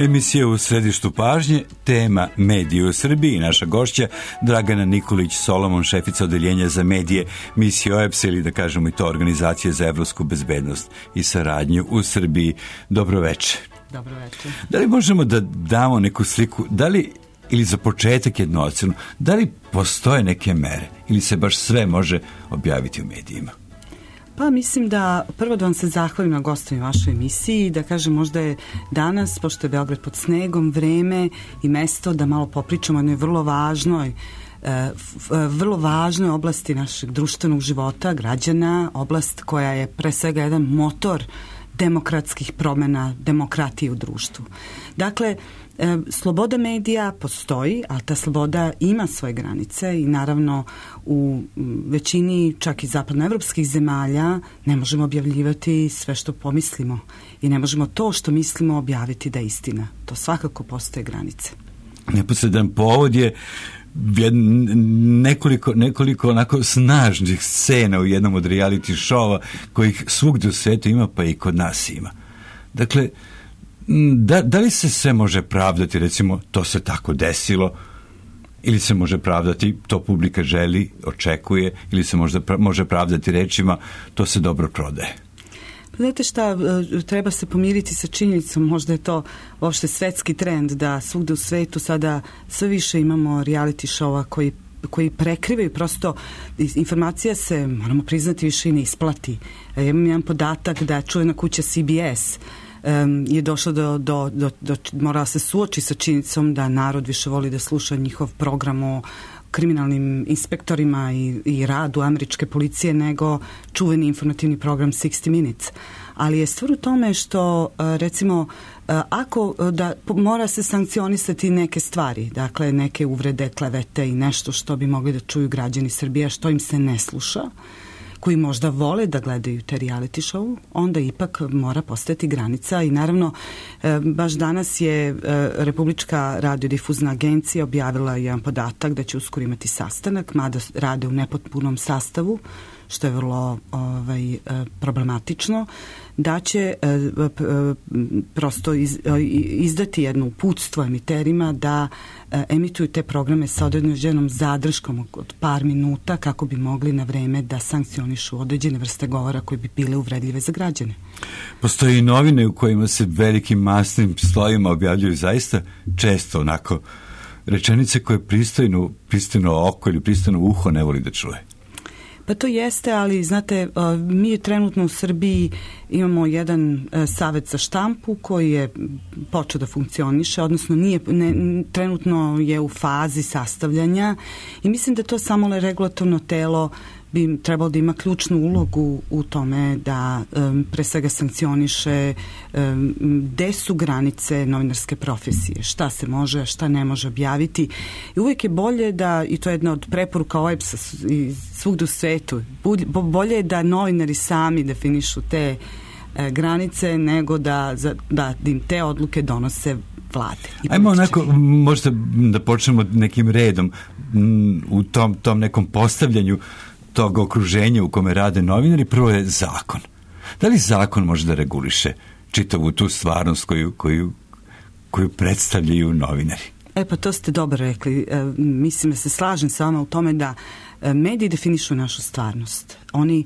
Emisija u središtu pažnje, tema medije u Srbiji. Naša gošća Dragana Nikolić Solomon, šefica odeljenja za medije misije OEBS, ili da kažemo i to Organizacije za evropsku bezbednost i saradnju u Srbiji. Dobroveče. Dobroveče. Da li možemo da damo neku sliku, da li, ili za početak jednu ocenu, da li postoje neke mere ili se baš sve može objaviti u medijima? Pa mislim da prvo da vam se zahvalim na gostovanju vašoj emisiji, da kažem možda je danas, pošto je Beograd pod snegom, vreme i mesto da malo popričamo o jednoj vrlo važnoj oblasti našeg društvenog života, građana, oblast koja je pre svega jedan motor demokratskih promena, demokratije u društvu. Dakle, sloboda medija postoji, ali ta sloboda ima svoje granice i naravno u većini čak i zapadnoevropskih zemalja ne možemo objavljivati sve što pomislimo i ne možemo to što mislimo objaviti da je istina. To svakako postoje granice. Neposredan povod je nekoliko onako snažnih scena u jednom od reality showa kojih svugdje u svijetu ima, pa i kod nas ima. Dakle, da li se sve može pravdati, recimo, to se tako desilo, ili se može pravdati, to publika želi, očekuje, ili se može pravdati rečima, to se dobro prodaje? Znate šta, treba se pomiriti sa činjenicom, možda je to uopšte svetski trend da svugde u svetu sada sve više imamo reality showa koji prekrivaju, prosto informacija se, moramo priznati, više i ne isplati. Ja imam jedan podatak da čuvena kuća CBS je došla morala se suoči sa činjenicom da narod više voli da sluša njihov program o kriminalnim inspektorima i radu američke policije nego čuveni informativni program 60 Minutes. Ali je stvar u tome što, recimo, ako da mora se sankcionisati neke stvari, dakle neke uvrede, klevete i nešto što bi mogli da čuju građani Srbije, što im se ne sluša, koji možda vole da gledaju te reality show, onda ipak mora postojati granica i naravno baš danas je Republička radiodifuzna agencija objavila jedan podatak da će uskoro imati sastanak, mada rade u nepotpunom sastavu, što je vrlo problematično, da će prosto izdati jedno uputstvo emiterima da emituju te programe sa određenom zadrškom od par minuta kako bi mogli na vreme da sankcionišu određene vrste govora koje bi bile uvredljive za građane. Postoje i novine u kojima se velikim masnim slovima objavljuju zaista često onako rečenice koje pristojno oko ili pristojno uho ne voli da čuje. Pa to jeste, ali znate, mi trenutno u Srbiji imamo jedan savet za štampu koji je počeo da funkcioniše, odnosno trenutno je u fazi sastavljanja i mislim da to samo regulatorno telo bi trebalo da ima ključnu ulogu u tome da pre svega sankcioniše gde su granice novinarske profesije, šta se može, šta ne može objaviti. I uvijek je bolje da, i to je jedna od preporuka OEBS-a i svugde u svetu, bolje je da novinari sami definišu te granice nego da im te odluke donose vlade. Ajmo onako, možda da počnemo nekim redom u tom nekom postavljanju tog okruženja u kome rade novinari. Prvo je zakon. Da li zakon može da reguliše čitavu tu stvarnost koju predstavljaju novinari? Pa to ste dobro rekli. Mislim da se slažem sa vama u tome da mediji definišu našu stvarnost. Oni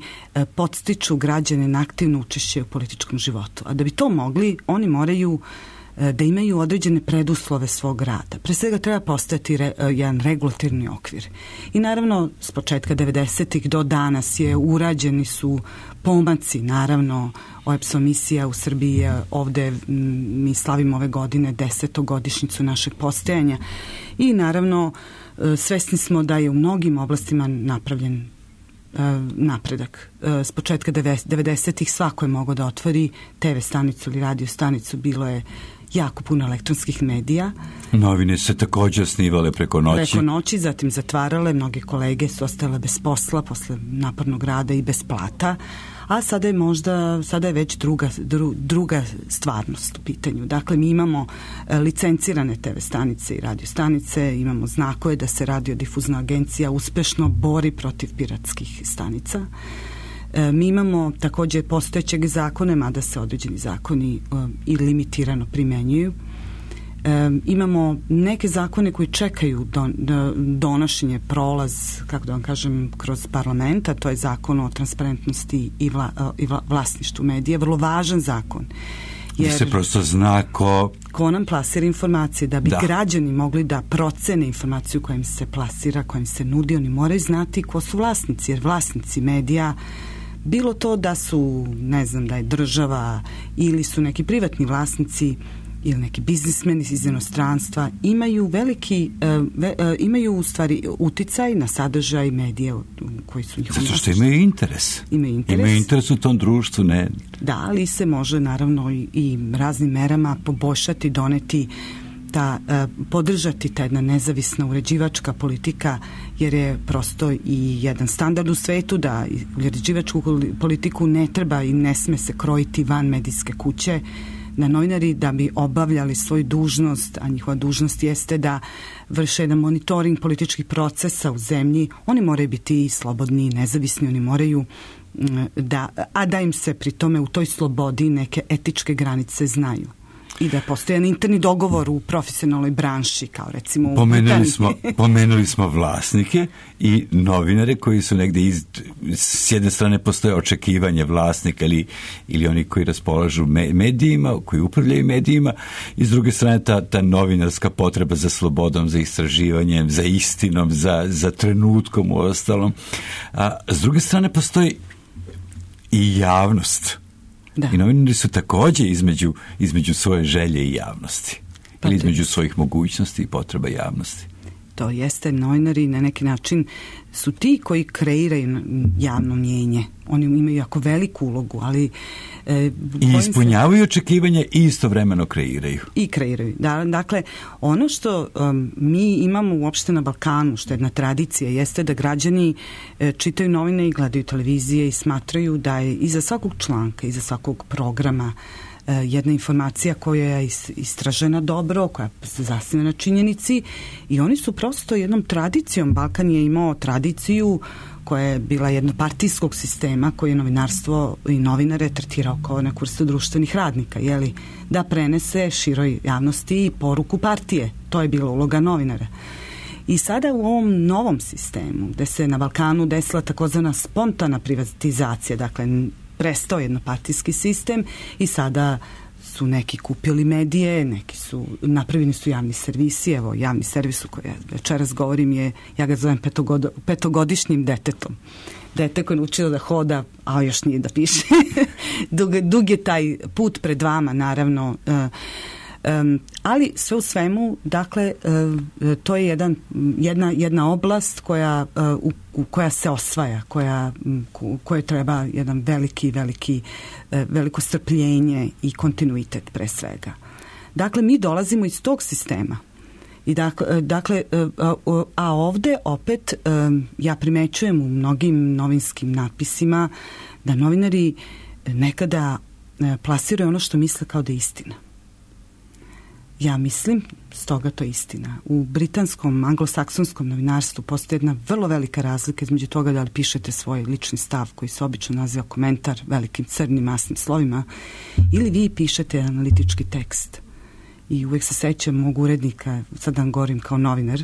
podstiču građane na aktivno učešće u političkom životu. A da bi to mogli, oni moraju da imaju određene preduslove svog rada. Pre svega treba postojati jedan regulatorni okvir. I naravno, s početka 90-ih do danas urađeni su pomaci, naravno, OEBS-ova misija u Srbiji je ovde, mi slavimo ove godine 10. godišnjicu našeg postojanja i naravno svesni smo da je u mnogim oblastima napravljen napredak. S početka 90-ih svako je mogao da otvori TV stanicu ili radio stanicu, bilo je jako puno elektronskih medija. Novine se također osnivale preko noći. Zatim zatvarale, mnoge kolege su ostale bez posla posle napornog rada i bez plata, a sada je već druga stvarnost u pitanju. Dakle, mi imamo licencirane TV stanice i radio stanice, imamo znakove da se radiodifuzna agencija uspešno bori protiv piratskih stanica. Mi imamo također postojećeg zakone, mada se određeni zakoni i limitirano primenjuju. Imamo neke zakone koji čekaju donošenje, prolaz, kako da vam kažem, kroz parlamenta, to je zakon o transparentnosti i vlasništvu medija, vrlo važan zakon. Jer se prosto zna ko nam plasira informacije, da bi građani mogli da procene informaciju koja im se plasira, koja im se nudi, oni moraju znati ko su vlasnici, jer vlasnici medija, bilo to da su, ne znam, da je država ili su neki privatni vlasnici ili neki biznismeni iz inostranstva, imaju imaju u stvari uticaj na sadržaj medija koji su njihovi. Zato što imaju interes. Imaju interes u tom društvu, ne? Da, ali se može naravno i raznim merama poboljšati, doneti podržati ta jedna nezavisna uređivačka politika, jer je prosto i jedan standard u svetu da uređivačku politiku ne treba i ne sme se krojiti van medijske kuće, da novinari da bi obavljali svoju dužnost, a njihova dužnost jeste da vrše jedan monitoring političkih procesa u zemlji, oni moraju biti slobodni i nezavisni, oni moraju da im se pri tome u toj slobodi neke etičke granice znaju. I da postoji jedan interni dogovor u profesionalnoj branši, kao recimo u Pomenuli smo vlasnike i novinare koji su negde s jedne strane postoje očekivanje vlasnika ili oni koji raspolažu medijima, koji upravljaju medijima, i s druge strane ta novinarska potreba za slobodom, za istraživanjem, za istinom, za trenutkom u ostalom. A s druge strane postoji i javnost. Da. I novinari su također između svoje želje i javnosti. Ili između svojih mogućnosti i potreba javnosti. To jeste, novinari na neki način su ti koji kreiraju javno mnijenje. Oni imaju jako veliku ulogu, ali i ispunjavaju očekivanja i istovremeno kreiraju. I kreiraju. Dakle, ono što mi imamo uopšte na Balkanu, što je jedna tradicija, jeste da građani čitaju novine i gledaju televizije i smatraju da je iza svakog članka, iza svakog programa jedna informacija koja je istražena dobro, koja se zasniva na činjenici, i oni su prosto jednom tradicijom, Balkan je imao tradiciju koja je bila jednopartijskog sistema, koji je novinarstvo i novinare tretirao kao neku vrstu društvenih radnika, da prenese široj javnosti poruku partije. To je bila uloga novinara. I sada u ovom novom sistemu, gde se na Balkanu desila takozvana spontana privatizacija, dakle prestao jednopartijski sistem i sada su neki kupili medije, neki su napravljeni su javni servisi. Evo, javni servis u kojoj večeras govorim ja ga zovem petogodišnjim detetom. Dete koje je učilo da hoda, a još nije da piše. Dug je taj put pred vama, naravno. Ali sve u svemu, dakle, to je jedna oblast koja se osvaja, koja treba jedan veliko strpljenje i kontinuitet pre svega. Dakle, mi dolazimo iz tog sistema. I dakle, a ovde opet ja primećujem u mnogim novinskim natpisima da novinari nekada plasiraju ono što misle kao da je istina. Ja mislim, stoga to je istina. U britanskom, anglosaksonskom novinarstvu postoji jedna vrlo velika razlika između toga da li pišete svoj lični stav koji se obično naziva komentar velikim crnim masnim slovima, ili vi pišete analitički tekst. I uvek se sećam mog urednika, sad vam govorim kao novinar,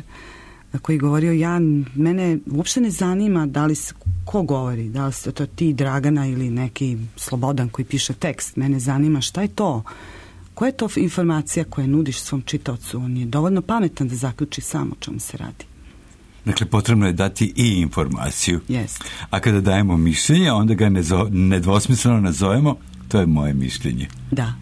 koji govorio, mene uopšte ne zanima da li se, ko govori, da li se to ti Dragana ili neki Slobodan koji piše tekst, mene zanima šta je to. Koja je to informacija koju nudiš svom čitaocu? On je dovoljno pametan da zaključi sam o čemu se radi. Dakle, potrebno je dati i informaciju. Yes. A kada dajemo mišljenje, onda ga nedvosmisleno nazovemo, to je moje mišljenje. Da.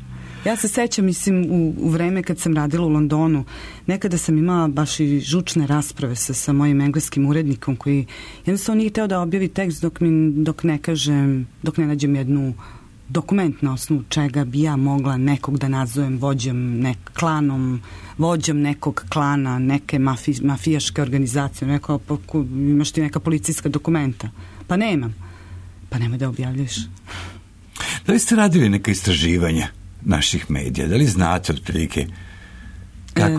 Ja se sećam, mislim, u vreme kad sam radila u Londonu, nekada sam imala baš i žučne rasprave sa mojim engleskim urednikom koji jednostavno nije hteo da objavi tekst dok ne nađem jednu dokument na osnovu čega bi ja mogla nekog da nazovem vođom nekog klana, neke mafijaške organizacije. Rekao, imaš ti neka policijska dokumenta? Pa nemam. Pa nemoj da objavljaš. Da li ste radili neka istraživanja naših medija? Da li znate otprilike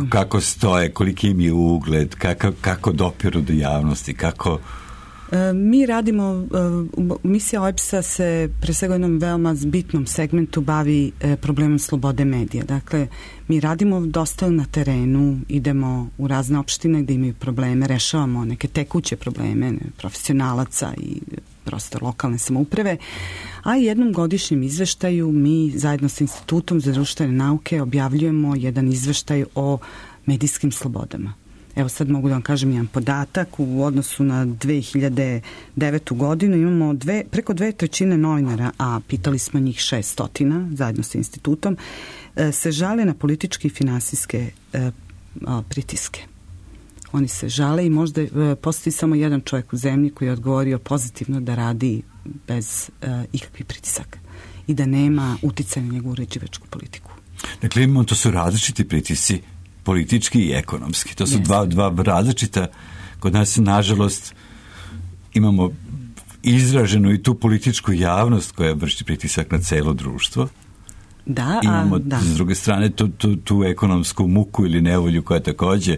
kako stoje, koliki im je ugled, kako dopiru do javnosti, kako... Mi radimo, misija OEBS-a se pre svega jednom veoma bitnom segmentu bavi problemom slobode medija. Dakle, mi radimo dosta na terenu, idemo u razne opštine gde imaju probleme, rešavamo neke tekuće probleme profesionalaca i prosto lokalne samouprave, a jednom godišnjem izveštaju mi zajedno sa Institutom za društvene nauke objavljujemo jedan izveštaj o medijskim slobodama. Evo sad mogu da vam kažem jedan podatak, u odnosu na 2009. godinu imamo preko 2/3 novinara, a pitali smo njih 600 zajedno sa institutom, se žale na političke i finansijske pritiske. Oni se žale i možda postoji samo jedan čovjek u zemlji koji je odgovorio pozitivno da radi bez ikakvih pritisaka i da nema uticaja na njegovu uređivačku politiku. Dakle, to su različiti pritisci, politički i ekonomski. To su dva različita. Kod nas, nažalost, imamo izraženu i tu političku javnost koja vrši pritisak na celo društvo. Imamo s druge strane tu ekonomsku muku ili nevolju koja takođe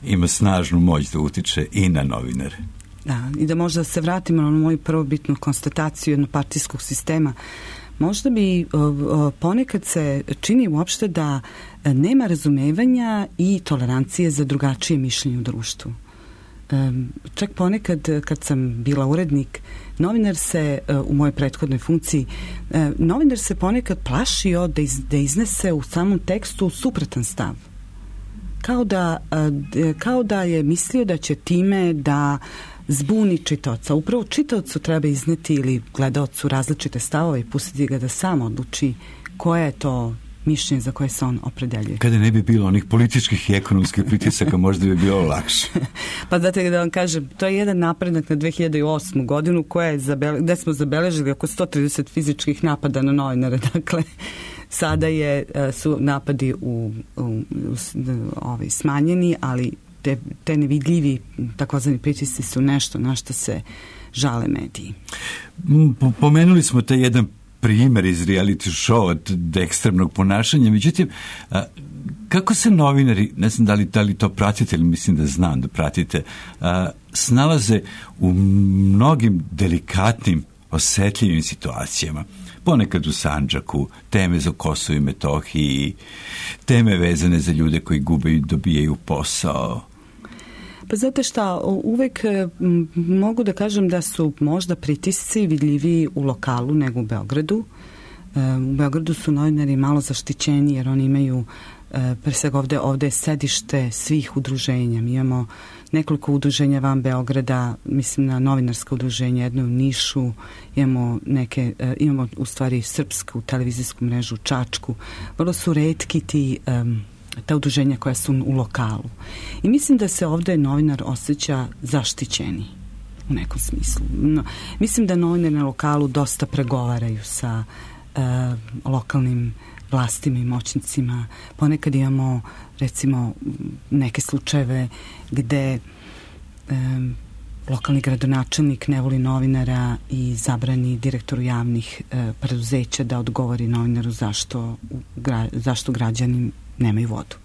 ima snažnu moć da utiče i na novinare. Da, i da možda se vratimo na moju prvobitnu konstataciju jednopartijskog sistema. Možda bi ponekad se čini uopšte da nema razumevanja i tolerancije za drugačije mišljenje u društvu. Čak ponekad kad sam bila urednik, novinar se u mojoj prethodnoj funkciji, novinar se ponekad plašio da iznese u samom tekstu suprotan stav. Kao da je mislio da će time da zbuni čitaoca. Upravo čitaocu treba izneti ili gledaocu različite stavove i pustiti ga da sam odluči koje je to mišljenje za koje se on opredeljuje. Kada ne bi bilo onih političkih i ekonomskih pritisaka, možda bi bilo lakše. Pa znate da vam kažem, to je jedan napredak na 2008. godinu gde smo zabeležili oko 130 fizičkih napada na novinare. Dakle, sada su napadi smanjeni, ali te nevidljivi takozvani pritisci su nešto na što se žale mediji. Pomenuli smo taj jedan primer iz reality show od ekstremnog ponašanja, međutim, kako se novinari, ne znam da li to pratite, ili mislim da znam da pratite, snalaze u mnogim delikatnim, osetljivim situacijama. Ponekad u Sandžaku, teme za Kosovo i Metohiji, teme vezane za ljude koji gube i dobijaju posao. Pa znate šta, uvek mogu da kažem da su možda pritisci vidljiviji u lokalu nego u Beogradu. U Beogradu su novinari malo zaštićeni jer oni imaju, pre svega ovde je sedište svih udruženja. Mi imamo nekoliko udruženja van Beograda, mislim na novinarska udruženja, jedno u Nišu, imamo u stvari srpsku televizijsku mrežu u Čačku. Vrlo su retki ta udruženja koja su u lokalu. I mislim da se ovde novinar osjeća zaštićeni u nekom smislu. Mislim da novinari na lokalu dosta pregovaraju sa lokalnim vlastima i moćnicima. Ponekad imamo, recimo, neke slučajeve gde lokalni gradonačelnik ne voli novinara i zabrani direktoru javnih preduzeća da odgovori novinaru zašto građani nemaju vodu.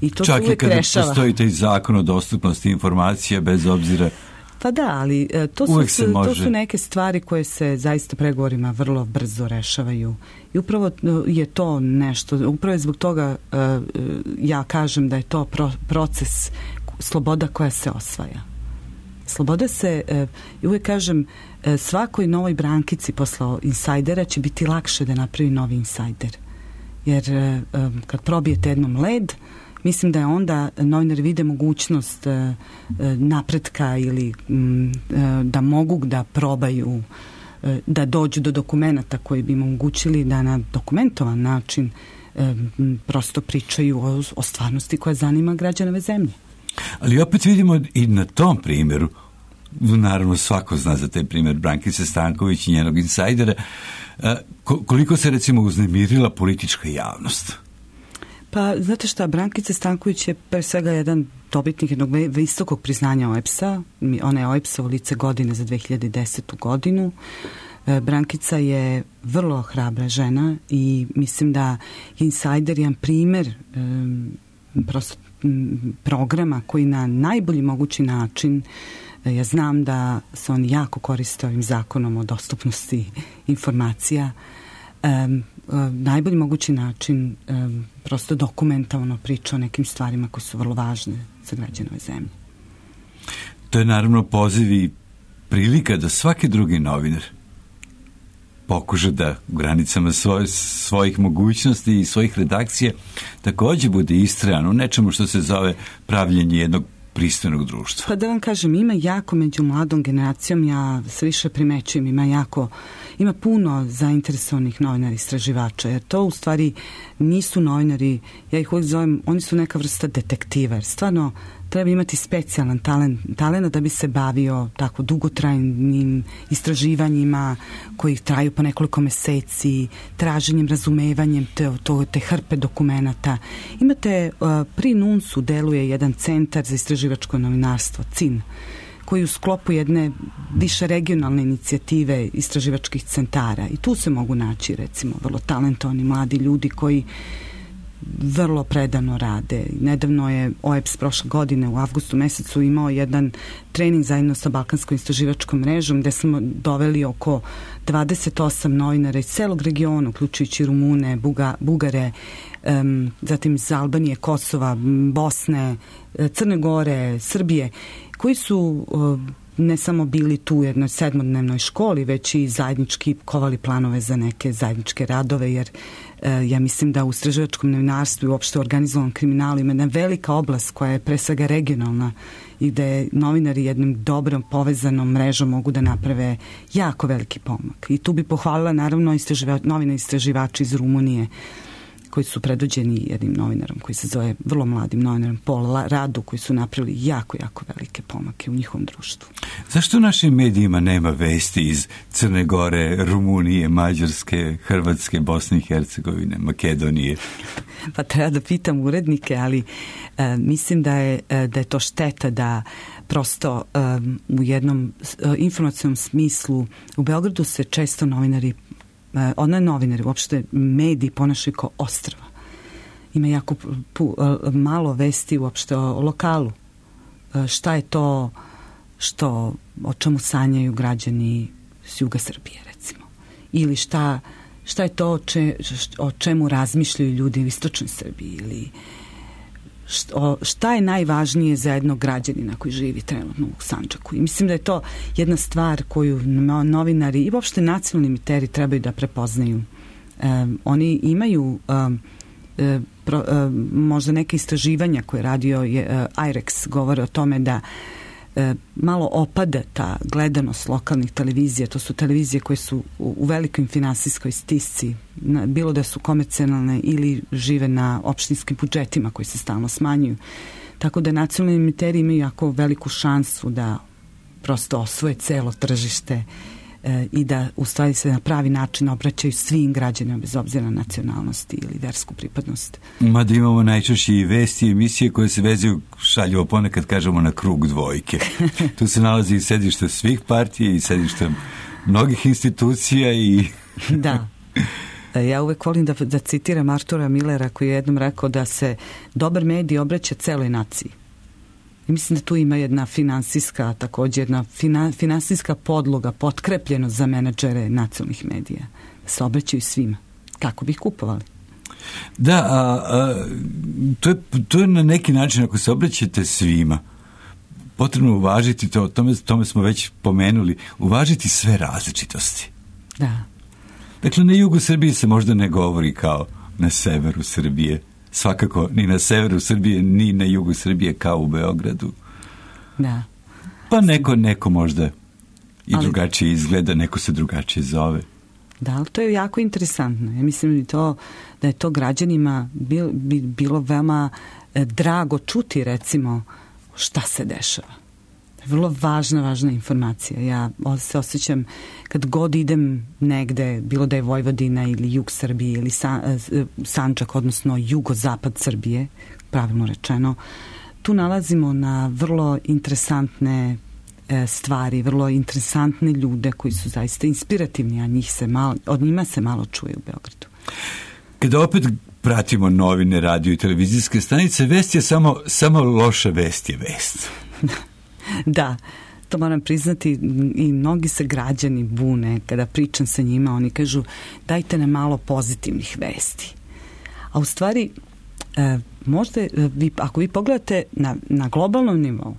I to čak i kada postoji taj zakon o dostupnosti informacija, bez obzira. Pa da, ali to su neke stvari koje se zaista pregovorima vrlo brzo rešavaju. I upravo je to nešto, upravo je zbog toga ja kažem da je to proces sloboda koja se osvaja. Sloboda se, uvijek kažem, svakoj novoj brankici posle insajdera će biti lakše da napravi novi insajder. Jer kad probijete jednom led, mislim da je onda novinari vide mogućnost napretka ili da mogu da probaju da dođu do dokumenata koji bi im omogućili da na dokumentovan način prosto pričaju o stvarnosti koja zanima građanove zemlje. Ali opet vidimo i na tom primjeru, naravno svako zna za taj primjer Brankice Stanković i njenog insajdera, koliko se recimo uznemirila politička javnost? Pa, znate šta, Brankica Stanković je pre svega jedan dobitnik jednog visokog priznanja OEBS-a. Ona je OEBS-ovo lice godine za 2010. godinu. Brankica je vrlo hrabra žena i mislim da je insajder jedan primer prosto programa koji na najbolji mogući način Ja znam da se oni jako koriste ovim zakonom o dostupnosti informacija. Najbolji mogući način prosto dokumentalno priča o nekim stvarima koje su vrlo važne za građane ove zemlje. To je naravno poziv i prilika da svaki drugi novinar pokuša da u granicama svojih mogućnosti i svojih redakcija također bude istrajan u nečemu što se zove pravljenje jednog pristojnog društva. Pa da vam kažem, ima jako među mladom generacijom, ja sve više primećujem, ima puno zainteresovanih novinara istraživača, jer to u stvari nisu novinari, ja ih uvijek zovem, oni su neka vrsta detektiva, jer stvarno treba imati specijalan talent da bi se bavio tako dugotrajnim istraživanjima koji traju po nekoliko meseci, traženjem, razumevanjem te hrpe dokumenata. Imate, pri NUNS-u deluje jedan centar za istraživačko novinarstvo, CIN, koji u sklopu jedne više regionalne inicijative istraživačkih centara. I tu se mogu naći, recimo, vrlo talentovani mladi ljudi koji vrlo predano rade. Nedavno je OEBS prošle godine u avgustu mesecu imao jedan trening zajedno sa Balkanskom istraživačkom mrežom gde smo doveli oko 28 novinara iz celog regiona, uključujući Rumune, Bugare, zatim iz Albanije, Kosova, Bosne, Crne Gore, Srbije, koji su ne samo bili tu u jednoj 7-dnevnoj školi, već i zajednički kovali planove za neke zajedničke radove, jer ja mislim da u istraživačkom novinarstvu i uopšte u organizovanom kriminalu ima jedna velika oblast koja je pre svega regionalna i gde novinari jednom dobrom povezanom mrežom mogu da naprave jako veliki pomak. I tu bi pohvalila naravno novine istraživači iz Rumunije koji su predvođeni jednim novinarom koji se zove, vrlo mladim novinarom, Paul Radu, koji su napravili jako, jako velike pomake u njihovom društvu. Zašto u našim medijima nema vesti iz Crne Gore, Rumunije, Mađarske, Hrvatske, Bosne i Hercegovine, Makedonije? Pa treba da pitam urednike, ali mislim da je to šteta da prosto u jednom informacionom smislu u Beogradu se često novinari uopšte mediji ponašaju kao ostrva. Ima jako malo vesti uopšte o lokalu. Šta je to o čemu sanjaju građani s juga Srbije, recimo? Ili šta je to o čemu razmišljaju ljudi u istočnoj Srbiji? Ili šta je najvažnije za jednog građanina koji živi trenutno u Sandžaku? I mislim da je to jedna stvar koju novinari i uopšte nacionalni emiteri trebaju da prepoznaju. Oni imaju možda neke istraživanja koje je radio IREX govore o tome da malo opada ta gledanost lokalnih televizija. To su televizije koje su u velikoj finansijskoj stisci, bilo da su komercijalne ili žive na opštinskim budžetima koji se stalno smanjuju. Tako da nacionalni emiteri imaju jako veliku šansu da prosto osvoje celo tržište i da u stvari se na pravi način obraćaju svim građanima bez obzira na nacionalnosti ili versku pripadnost. Mada imamo najčešće i vesti i emisije koje se vezuju, šaljivo ponekad kažemo, na krug dvojke. Tu se nalazi i sedište svih partija i sedište mnogih institucija i... Da. Ja uvek volim da citiram Artura Millera koji je jednom rekao da se dobar medij obraća celoj naciji. I mislim da tu ima jedna finansijska, također jedna finansijska podloga, potkrepljenost za menadžere nacionalnih medija. Da se obraćaju svima. Kako bi ih kupovali? Da, to je na neki način, ako se obraćate svima, potrebno uvažiti to, tome smo već pomenuli, uvažiti sve različitosti. Da. Dakle, na jugu Srbije se možda ne govori kao na severu Srbije. Svakako ni na severu Srbije, ni na jugu Srbije kao u Beogradu. Da. Pa neko možda i drugačije izgleda, neko se drugačije zove. Da, ali to je jako interesantno. Ja mislim da je to građanima bilo veoma drago čuti, recimo, šta se dešava. Vrlo važna informacija. Ja se osjećam kad god idem negde, bilo da je Vojvodina ili jug Srbije ili Sandžak, odnosno jugozapad Srbije, pravilno rečeno, tu nalazimo na vrlo interesantne stvari, vrlo interesantne ljude koji su zaista inspirativni, a od njima se malo čuje u Beogradu. Kada opet pratimo novine, radio i televizijske stanice, vest je samo loša vest je vest. Da, to moram priznati, i mnogi se građani bune kada pričam sa njima, oni kažu dajte nam malo pozitivnih vesti. A u stvari, možda ako vi pogledate na globalnom nivou,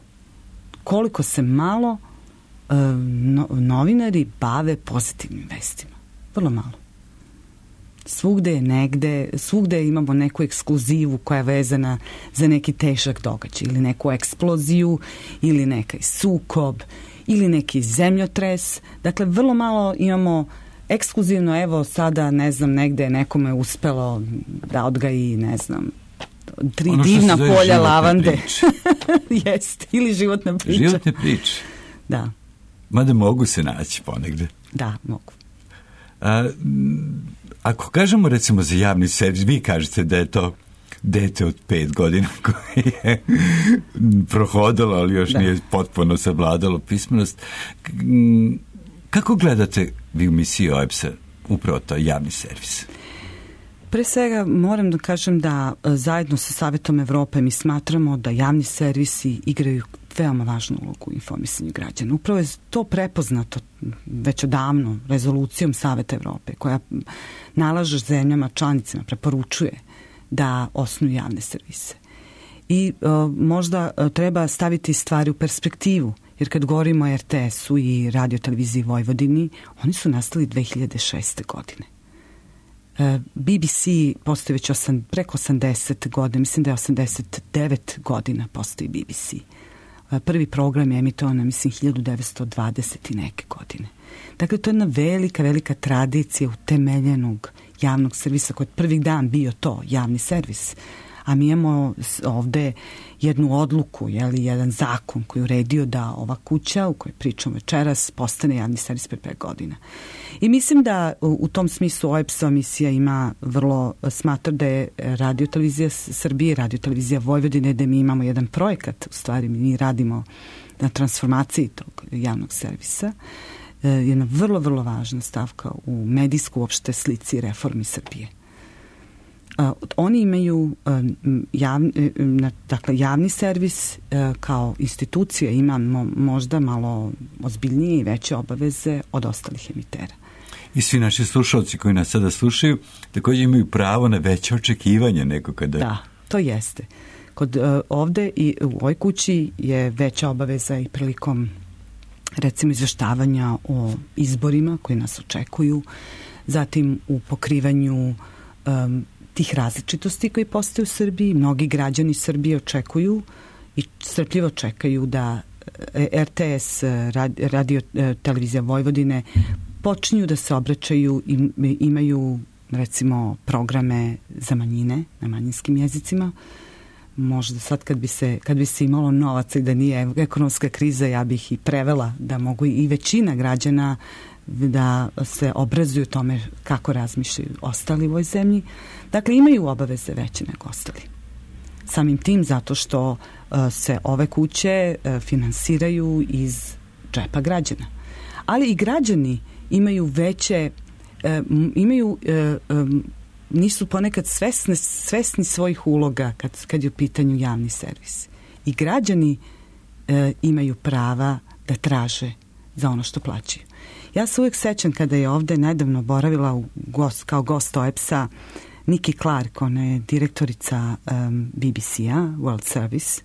koliko se malo novinari bave pozitivnim vestima. Vrlo malo. Svugde imamo neku ekskluzivu koja je vezana za neki težak događaj ili neku eksploziju ili neki sukob ili neki zemljotres. Dakle, vrlo malo imamo ekskluzivno, evo sada, ne znam, negde nekome je uspelo da odgaji, ne znam, 3 divna polja lavande. Jeste, ili životna priča. Životne priče. Da. Mada mogu se naći ponegde. Da, mogu. Ako kažemo recimo za javni servis, vi kažete da je to dete od 5 godina koje je prohodalo, ali još nije potpuno savladalo pismenost. Kako gledate vi u misiji OEBS-a upravo to javni servis? Pre svega moram da kažem da zajedno sa Savetom Evrope mi smatramo da javni servisi igraju veoma važnu ulogu u informisanju građana. Upravo je to prepoznato već odavno rezolucijom Saveta Evrope koja nalaže zemljama članicama, preporučuje da osnuju javne servise. I možda treba staviti stvari u perspektivu, jer kad govorimo o RTS-u i Radio-televiziji Vojvodini, oni su nastali 2006. godine. BBC postoji već preko 80 godina, mislim da je 89 godina postoji BBC. Prvi program je emitovan, mislim, 1920 i neke godine. Dakle, to je jedna velika tradicija utemeljenog javnog servisa koji je prvi dan bio to, javni servis. A mi imamo ovde jednu odluku, jedan zakon koji je uredio da ova kuća u kojoj pričamo večeras postane javni servis pre 5 godina. I mislim da u tom smislu OEBS-ova misija ima smatra da je Radio-televizija Srbije, Radio-televizija Vojvodine, da mi imamo jedan projekat, u stvari mi radimo na transformaciji tog javnog servisa, jedna vrlo važna stavka u medijsku uopšte slici reformi Srbije. Oni imaju javni servis kao institucija ima možda malo ozbiljnije i veće obaveze od ostalih emitera. I svi naši slušalci koji nas sada slušaju također imaju pravo na veće očekivanje nego kada... Da, to jeste. Ovde i u ovoj kući je veća obaveza i prilikom recimo izveštavanja o izborima koji nas očekuju, zatim u pokrivanju tih različitosti koji postoje u Srbiji. Mnogi građani Srbije očekuju i strpljivo čekaju da RTS, Radio-televizija Vojvodine počinju da se obraćaju i imaju recimo programe za manjine na manjinskim jezicima. Možda sad kad bi se imalo novaca i da nije ekonomska kriza, ja bih i prevela da mogu i većina građana da se obrazuju tome kako razmišljaju ostali u ovoj zemlji. Dakle, imaju obaveze veće nego ostali. Samim tim zato što se ove kuće finansiraju iz džepa građana. Ali i građani imaju veće, nisu ponekad svesni svojih uloga kad je u pitanju javni servis. I građani imaju prava da traže za ono što plaćaju. Ja se uvijek sećam kada je ovde nedavno boravila kao gost OEBS-a Nikki Clark, ona je direktorica BBC-a, World Service,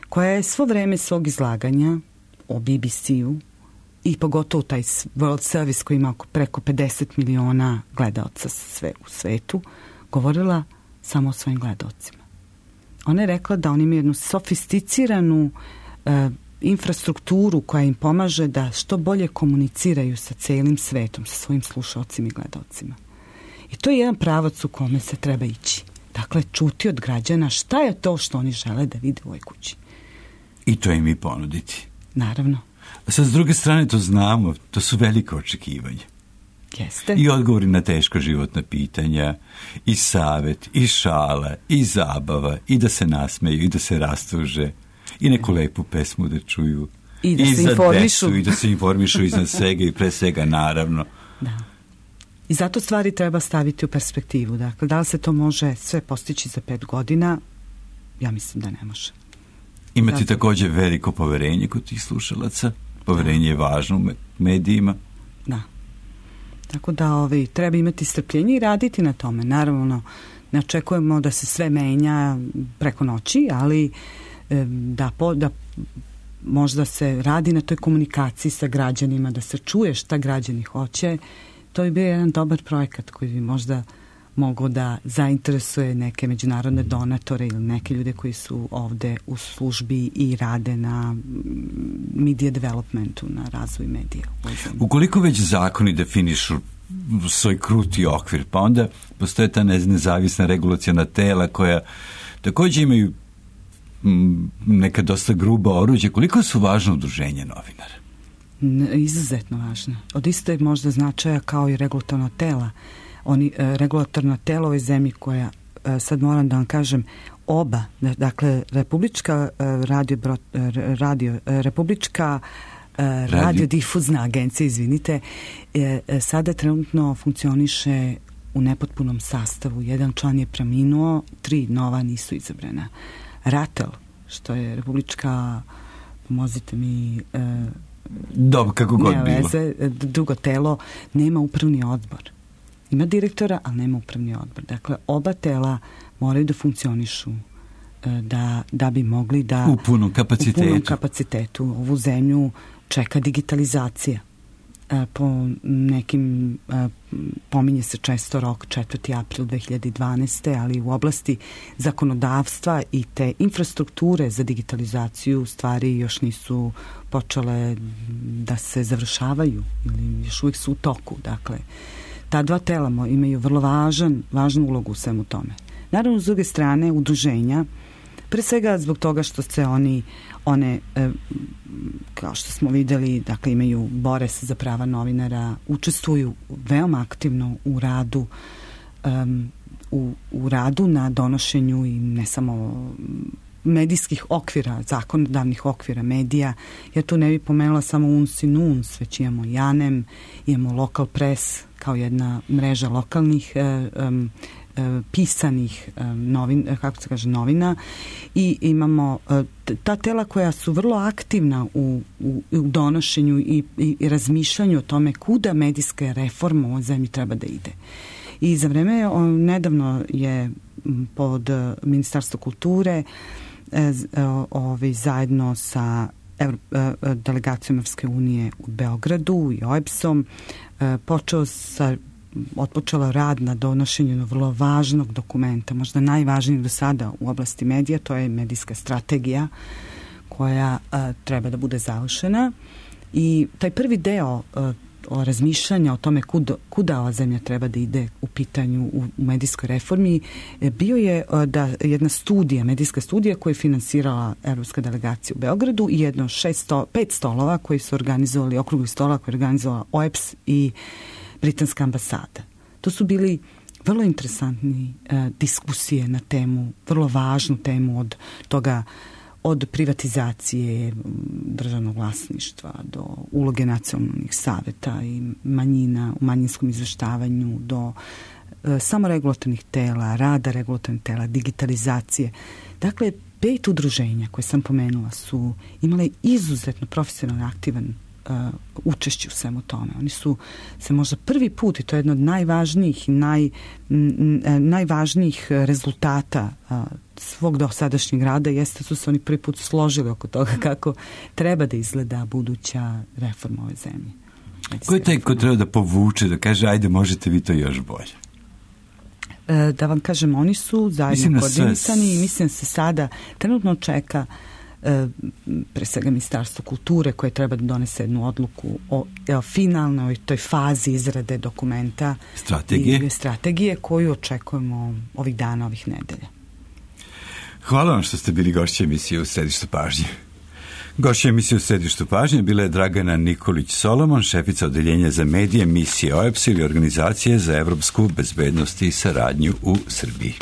koja je svo vreme svog izlaganja o BBC-u i pogotovo taj World Service koji ima preko 50 miliona gledaoca sve u svetu, govorila samo o svojim gledaocima. Ona je rekla da oni imaju jednu sofisticiranu infrastrukturu koja im pomaže da što bolje komuniciraju sa celim svetom, sa svojim slušalcima i gledaocima. I to je jedan pravac u kome se treba ići. Dakle, čuti od građana šta je to što oni žele da vide u ovoj kući. I to im i ponuditi. Naravno. Sad, s druge strane, to znamo, to su velike očekivanja. Jeste. I odgovori na teška životna pitanja, i savjet, i šala, i zabava, i da se nasmeju, i da se rastuže, i neku lepu pesmu da čuju. I da se informišu. Decu, i da se informišu iznad svega i pre svega, naravno. Da. I zato stvari treba staviti u perspektivu. Dakle, da li se to može sve postići za 5 godina? Ja mislim da ne može. Imate također veliko poverenje kod tih slušalaca? Poverenje je važno u medijima. Da. Tako da treba imati strpljenje i raditi na tome. Naravno, ne očekujemo da se sve menja preko noći, ali da možda se radi na toj komunikaciji sa građanima, da se čuje šta građani hoće. To je bio jedan dobar projekat koji bi možda mogao da zainteresuje neke međunarodne donatore ili neke ljude koji su ovde u službi i rade na media developmentu, na razvoju medija. Ukoliko već zakoni definišu svoj kruti okvir, pa onda postoje ta nezavisna regulaciona tela koja također imaju neka dosta gruba oruđe. Koliko su važno udruženje novinara? Izuzetno važno. Od isto je možda značaja kao i regulatorna tela. Regulatorna tela ovoj zemlji koja, sad moram da vam kažem, oba, dakle Republička radiodifuzna agencija, izvinite, sada trenutno funkcioniše u nepotpunom sastavu. Jedan član je preminuo, 3 nova nisu izabrana. RATEL, što je Republička, pomozite mi, dobro, kako god bilo. Drugo telo, nema upravni odbor. Ima direktora, ali nema upravni odbor. Dakle, oba tela moraju da funkcionišu da bi mogli da u punom kapacitetu ovu zemlju čeka digitalizacija. Po nekim pominje se često rok 4. april 2012. ali u oblasti zakonodavstva i te infrastrukture za digitalizaciju stvari još nisu počele da se završavaju ili još uvijek su u toku. Dakle, ta dva tela imaju vrlo važnu ulogu u svemu tome. Naravno, s druge strane, udruženja, pre svega zbog toga što se one, kao što smo videli, dakle bore se za prava novinara, učestvuju veoma aktivno u radu, u radu na donošenju i ne samo medijskih okvira, zakonodavnih okvira medija. Ja tu ne bih pomenula samo UNS i NUNS, već imamo JANEM, imamo Local Press kao jedna mreža lokalnih pisanih novina i imamo ta tela koja su vrlo aktivna u donošenju i razmišljanju o tome kuda medijska reforma u ovoj zemlji treba da ide. I za vreme nedavno je pod Ministarstvo kulture zajedno sa delegacijom Evropske unije u Beogradu i OEBS-om otpočela rad na donošenju vrlo važnog dokumenta, možda najvažnijeg do sada u oblasti medija, to je medijska strategija koja treba da bude završena. I taj prvi deo o razmišljanja o tome kuda ova zemlja treba da ide u pitanju u medijskoj reformi bio je jedna studija, medijska studija koju je finansirala Evropska delegacija u Beogradu i jedno 5 stolova koji su organizovali, okruglih stola koji je organizovala OEBS i Britanska ambasada. To su bili vrlo interesantni diskusije na temu, vrlo važnu temu od toga, od privatizacije državnog vlasništva do uloge nacionalnih saveta i manjina u manjinskom izveštavanju do samoregulatornih tela, rada regulatornih tela, digitalizacije. Dakle, 5 udruženja koje sam pomenula su imale izuzetno profesionalno aktivan učešće u svemu tome. Oni su se možda prvi put, i to je jedno od najvažnijih i najvažnijih rezultata svog dosadašnjeg rada jeste su se oni prvi put složili oko toga kako treba da izgleda buduća reforma ove zemlje. Ko je taj ko treba da povuče, da kaže ajde možete vi to još bolje? Da vam kažem, oni su zajedno koordinisani i mislim se sada trenutno čeka pre svega Ministarstvo kulture koje treba da donese jednu odluku o finalnoj toj fazi izrade dokumenta strategije koju očekujemo ovih dana, ovih nedelja. Hvala vam što ste bili gošće emisije U središtu pažnje. Gošća emisije U središtu pažnje bila je Dragana Nikolić-Solomon, šefica odeljenja za medije misije OEBS ili Organizacije za evropsku bezbednost i saradnju u Srbiji.